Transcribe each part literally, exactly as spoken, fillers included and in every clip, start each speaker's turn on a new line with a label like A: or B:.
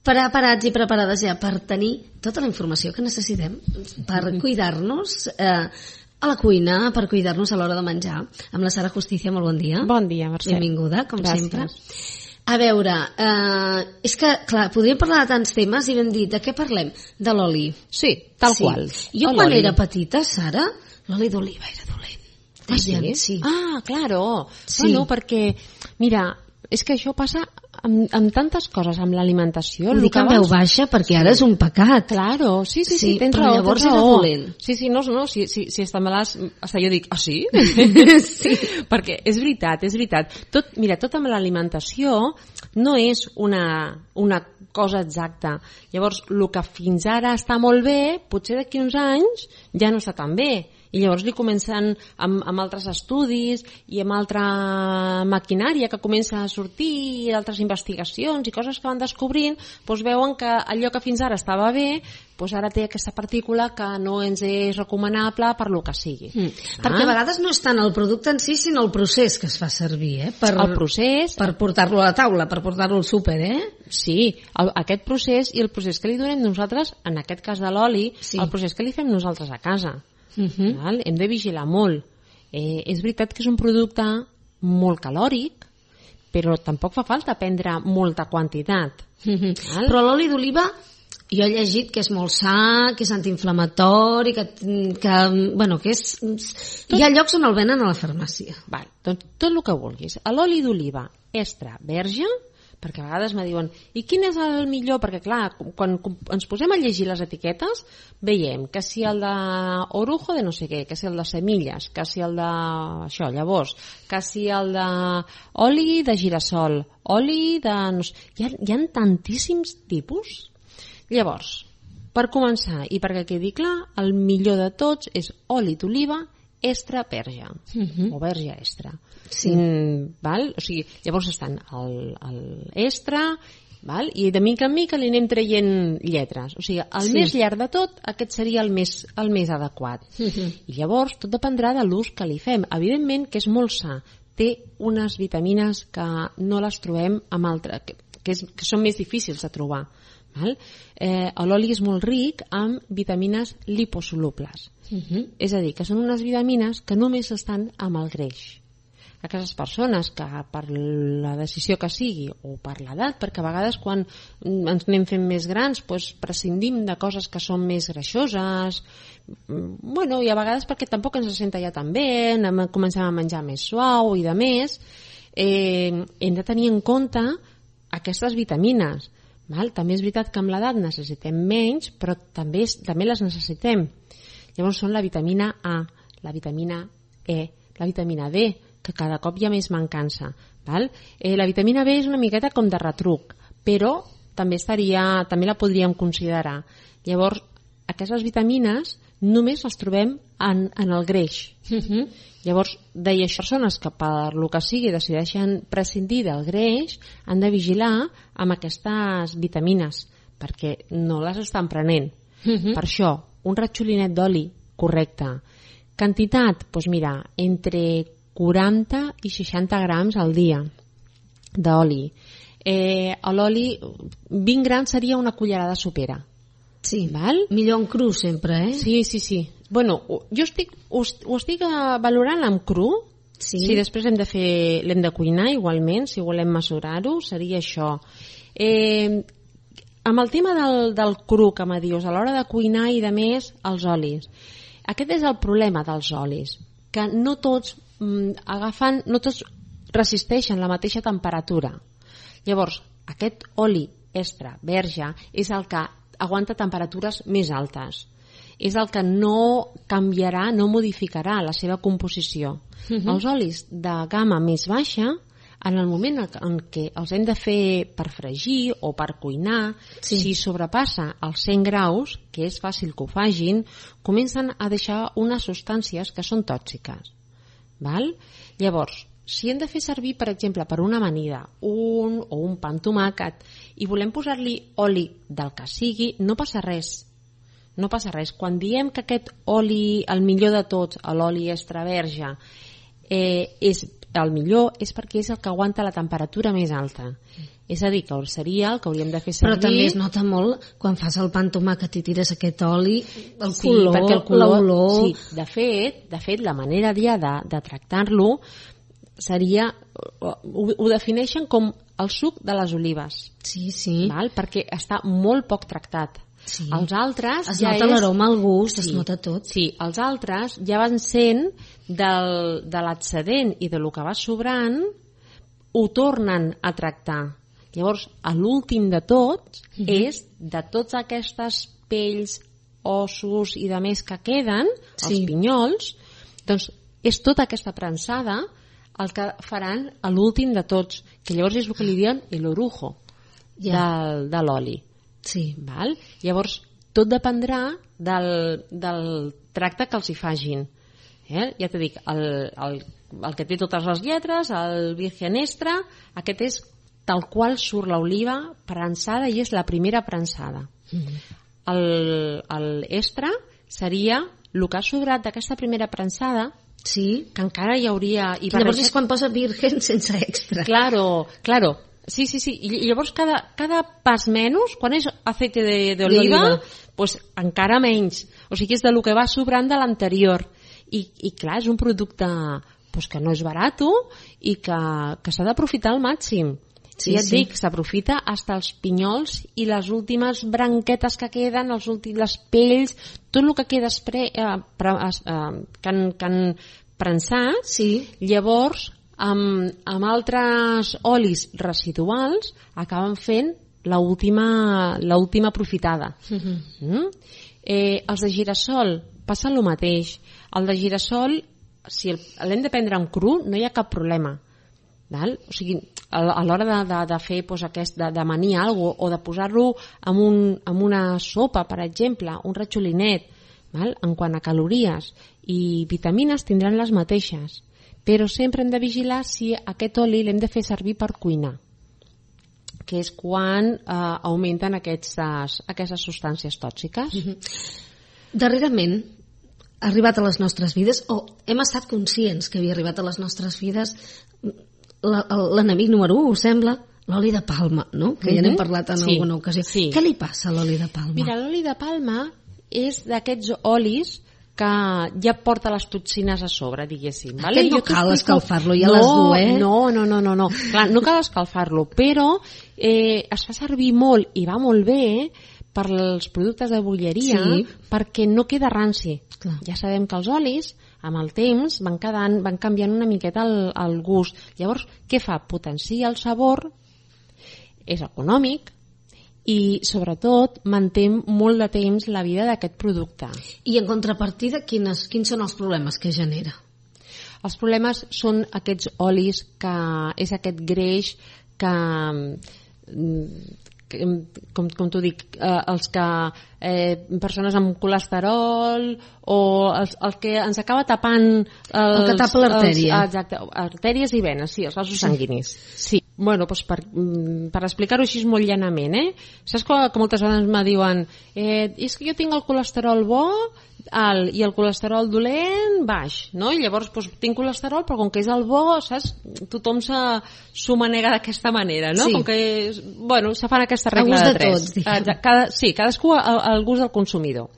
A: preparats i preparades ja per tenir tota la informació que necessitem per cuidar-nos eh, a la cuina, per cuidar-nos a l'hora de menjar. Amb la Sara Justicia, molt bon dia.
B: Bon dia, Mercè.
A: Benvinguda, com
B: Gràcies.
A: sempre. A veure, eh, és que, clar, podríem parlar de tants temes i vam dir, de què parlem? De l'oli.
B: Sí, tal
A: sí.
B: qual.
A: Jo quan era petita, Sara, l'oli d'oliva era dolent.
B: Ah, sí?
A: sí?
B: Ah, claro.
A: Sí.
B: Bueno, perquè, mira, és que això passa amb, amb tantes coses, amb l'alimentació.
A: Ho dic en veu baixa perquè ara és un pecat.
B: Claro, sí, sí, sí,
A: Sí,
B: tens
A: però
B: raó,
A: llavors
B: tens
A: era
B: raó.
A: dolent.
B: Sí, sí, no, no, si, si, si està malàs, hasta jo dic, ah, sí?
A: Sí.
B: Perquè és veritat, és veritat. Tot, mira, tot amb l'alimentació no és una, una cosa exacta. Llavors, el que fins ara està molt bé, potser d'aquí uns anys ja no està tan bé. I llavors li comencen amb, amb altres estudis i amb altra maquinària que comença a sortir, i altres investigacions i coses que van descobrint, doncs veuen que allò que fins ara estava bé, doncs ara té aquesta partícula que no ens és recomanable per lo que sigui.
A: Mm. Ah. Perquè a vegades no és tant el producte en si, sinó el procés que es fa servir, eh? Per,
B: el procés...
A: Per portar-lo a la taula, per portar-lo al súper, eh?
B: Sí, el, aquest procés i el procés que li donem nosaltres, en aquest cas de l'oli,
A: sí.
B: El procés que li fem nosaltres a casa.
A: Uh-huh.
B: Val? Hem de vigilar molt. Eh, és veritat que és un producte molt calòric, però tampoc fa falta prendre molta quantitat.
A: Uh-huh. Però l'oli d'oliva, jo he llegit que és molt sa, que és antiinflamatori, que, que, bueno, que és... Tot... Hi ha llocs on el venen a la farmàcia.
B: Val, doncs tot el que vulguis. L'oli d'oliva extra verge, perquè a vegades me diuen, i quin és el millor? Perquè clar, quan ens posem a llegir les etiquetes, veiem que si el de orujo de no sé què, que si el de semilles, que si el de això, llavors, que si el de oli de girassol, oli de... No sé, hi ha, hi ha tantíssims tipus. Llavors, per començar, i perquè quedi clar, el millor de tots és oli d'oliva extra verge, uh-huh. o verge extra.
A: Sí.
B: Mm, val? O sigui, llavors estan el, el extra, val? I de mica en mica li anem traient lletres. O sigui, el sí. més llarg de tot, aquest seria el més, el més adequat. Uh-huh. I llavors tot dependrà de l'ús que li fem. Evidentment que és molt sa. Té unes vitamines que no les trobem amb altres, que, que, és, que són més difícils de trobar. Val? Eh, l'oli és molt ric amb vitamines liposolubles. Uh-huh. És a dir, que són unes vitamines que només estan amb el greix. Aquestes persones que per la decisió que sigui o per l'edat, perquè a vegades quan ens anem fent més grans doncs prescindim de coses que són més greixoses, bueno, i a vegades perquè tampoc ens senta ja tan bé, anem, comencem a menjar més suau i de més, eh, hem de tenir en compte aquestes vitamines. Val? També és veritat que amb l'edat necessitem menys, però també, també les necessitem. Llavors són la vitamina A, la vitamina E, la vitamina D, que cada cop hi ha més mancança. Val? Eh, la vitamina B és una miqueta com de retruc, però també, estaria, també la podríem considerar. Llavors, aquestes vitamines només les trobem en, en el greix. Uh-huh. Llavors, deia, persones que per lo que sigui decideixen prescindir del greix han de vigilar amb aquestes vitamines perquè no les estan prenent. Uh-huh. Per això, un ratxolinet d'oli correcte. Quantitat, doncs mira, entre quaranta i seixanta grams al dia d'oli. Eh, l'oli, vint grams seria una cullerada sopera.
A: Sí,
B: val?
A: Millor en cru sempre, eh?
B: Sí, sí, sí. Bueno, jo estic, ho, ho estic valorant amb cru,
A: sí.
B: Si després hem de fer, l'hem de cuinar igualment, si volem mesurar-ho, seria això. Eh, amb el tema del, del cru que me dius, a l'hora de cuinar i de més, els olis. Aquest és el problema dels olis, que no tots mm, agafen, no tots resisteixen la mateixa temperatura. Llavors, aquest oli extra verge és el que aguanta temperatures més altes. És el que no canviarà, no modificarà la seva composició. Uh-huh. Els olis de gamma més baixa, en el moment en què els hem de fer per fregir o per cuinar, sí. Si sobrepassa els cent graus, que és fàcil que ho fagin, comencen a deixar unes substàncies que són tòxiques. Val? Llavors, si hem de fer servir, per exemple, per una amanida, un o un pa amb tomàquet, i volem posar-li oli del que sigui, no passa res. No passa res. Quan diem que aquest oli, el millor de tots, l'oli extra verge, eh, és, el millor és perquè és el que aguanta la temperatura més alta. És a dir, que seria el que hauríem de fer servir...
A: Però també es nota molt quan fas el pa amb tomàquet i tires aquest oli, el
B: sí,
A: color,
B: perquè el color,
A: l'olor...
B: Sí, de fet, de fet, la manera ja de, de tractar-lo seria... Ho, ho defineixen com el suc de les olives.
A: Sí, sí.
B: Val? Perquè està molt poc tractat.
A: Sí.
B: Els altres
A: es
B: ja
A: nota
B: és...
A: l'aroma, el gust,
B: sí,
A: es nota tot.
B: Sí, els altres ja van sent del, de l'excedent i de lo que va sobrant, ho tornen a tractar. Llavors, a l'últim de tot uh -huh. és de totes aquestes pells, ossos i de més que queden, sí. els pinyols, doncs és tota aquesta prensada el que faran a l'últim de tots, que llavors és el que li diuen l'orujo
A: ja.
B: del, de l'oli.
A: Sí.
B: Val? Llavors, tot dependrà del, del tracte que els hi fagin. Eh? Ja t'he dit, el, el, el que té totes les lletres, el virgen extra, aquest és tal qual surt l'oliva prensada i és la primera prensada. Mm-hmm. El, el extra seria el que ha sobrat d'aquesta primera prensada,
A: sí.
B: que encara hi hauria... I
A: llavors barrejat... és quan posa virgen sense extra.
B: Claro, claro. Sí, sí, sí. I llavors cada, cada pas menys, quan és aceite d'oliva, pues encara menys. O sigui, és de lo que va sobrant de l'anterior. I, I clar, és un producte pues, que no és barat i que, que s'ha d'aprofitar al màxim. Sí, ja et sí. dic, s'aprofita fins els pinyols i les últimes branquetes que queden, els últims, les pells, tot el que queda espre, eh, pre, eh, que, han, que han prensat, sí. llavors amb, amb altres olis residuals acaben fent l'última l'última aprofitada. Uh-huh. Mm? Eh, els de girassol passa el mateix. El de girassol, si l'hem de prendre en cru, no hi ha cap problema. Val? O sigui, a l'hora de, de, de fer pues, aquest, de, de manir alguna cosa o de posar-lo en, un, en una sopa, per exemple, un ratxolinet, val? En quant a calories i vitamines tindran les mateixes, però sempre hem de vigilar si aquest oli l'hem de fer servir per cuinar, que és quan eh, augmenten aquestes, aquestes substàncies tòxiques. Mm-hmm.
A: Darrerament ha arribat a les nostres vides, o hem estat conscients que havia arribat a les nostres vides, l'enemic número u, us sembla, l'oli de palma, no? Que ja n'hem parlat en sí, alguna ocasió. Sí. Què li passa a l'oli de palma?
B: Mira, l'oli de palma és d'aquests olis que ja porta les toxines a sobre, diguéssim. Vale?
A: Aquest no
B: jo
A: cal escalfar-lo, ja
B: no,
A: les du, eh?
B: No, no, no, no, no. Clar, no cal escalfar-lo, però eh, es fa servir molt i va molt bé per als productes de bolleria sí. perquè no queda ranci. Clar. Ja sabem que els olis amb el temps van, quedant, van canviant una miqueta el, el gust. Llavors, què fa? Potencia el sabor, és econòmic i, sobretot, manté molt de temps la vida d'aquest producte.
A: I, en contrapartida, quines, quins són els problemes que genera?
B: Els problemes són aquests olis, que és aquest greix que... que com, com t'ho dic, eh, els que eh, persones amb colesterol o els, el que ens acaba tapant els,
A: el que tapa l'artèria.
B: Exacte, artèries i venes, sí, els vasos sanguinis. Sí. Bueno, doncs per, per explicar-ho així molt llanament, eh? Saps que, que moltes vegades me diuen eh, és que jo tinc el colesterol bo alt i el colesterol dolent baix, no? I llavors doncs, tinc colesterol, però com que és el bo, saps? Tothom s'ho manega d'aquesta manera, no? Sí. Com que, bueno, se fan aquesta regla de, de tres. Tots, Cada, sí, cadascú al, al gust del consumidor.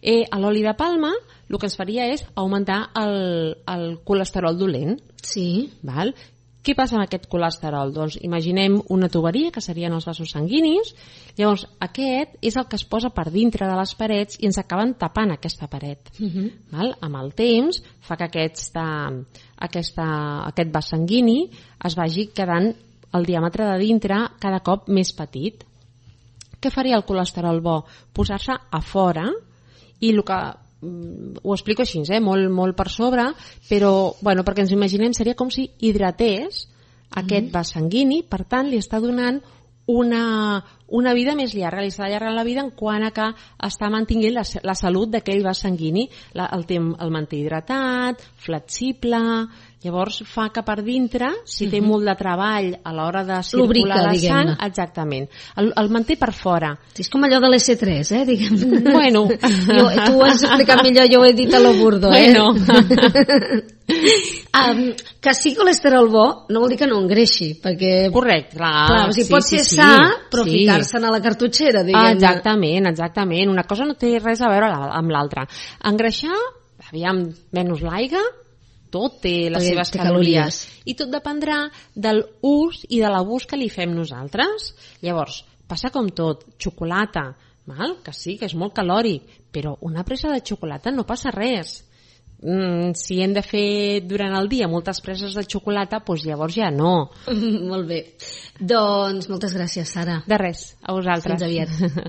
B: Eh, a l'oli de palma el que ens faria és augmentar el, el colesterol dolent.
A: Sí.
B: Val? Què passa amb aquest colesterol? Doncs imaginem una tuberia, que serien els vasos sanguinis, llavors aquest és el que es posa per dintre de les parets i ens acaben tapant aquesta paret. Uh-huh. Val? Amb el temps fa que aquesta, aquesta, aquest vas sanguini es vagi quedant el diàmetre de dintre cada cop més petit. Què faria el colesterol bo? Posar-se a fora i el que... ho explico així, eh? molt, molt per sobre, però bueno, perquè ens imaginem seria com si hidratés aquest mm. vas sanguini, per tant li està donant una, una vida més llarga, li està allargant la vida en quant a que està mantinguent la, la salut d'aquell vas sanguini, la, el, el manté hidratat, flexible, Llavors fa que per dintre, si té molt de treball a l'hora de circular
A: Lubrica,
B: la
A: diguem-ne.
B: sang, exactament, el, el manté per fora.
A: És com allò de l'S tres, eh, diguem.
B: Bueno.
A: Jo, tu ho has explicat millor, jo ho he dit a lo burdo, eh?
B: Bueno.
A: um, que sigui colesterol bo no vol dir que no engreixi, perquè...
B: Correcte, clar.
A: Clar, o sigui,
B: sí,
A: pot
B: sí,
A: ser
B: sí,
A: sa, però
B: sí.
A: ficar-se'n a la cartutxera,
B: Ah,
A: diguem.
B: exactament, exactament. Una cosa no té res a veure la- amb l'altra. Engreixar, aviam, menys l'aigua, tot té les
A: Perquè
B: seves
A: té
B: calories.
A: calories.
B: I tot dependrà del ús i de l'abús que li fem nosaltres. Llavors, passa com tot, xocolata, val? Que sí, que és molt calòric, però una presa de xocolata no passa res. Mm, si hem de fer durant el dia moltes preses de xocolata, doncs llavors ja no.
A: Molt bé. Doncs moltes gràcies, Sara.
B: De res, a vosaltres.
A: Fins aviat.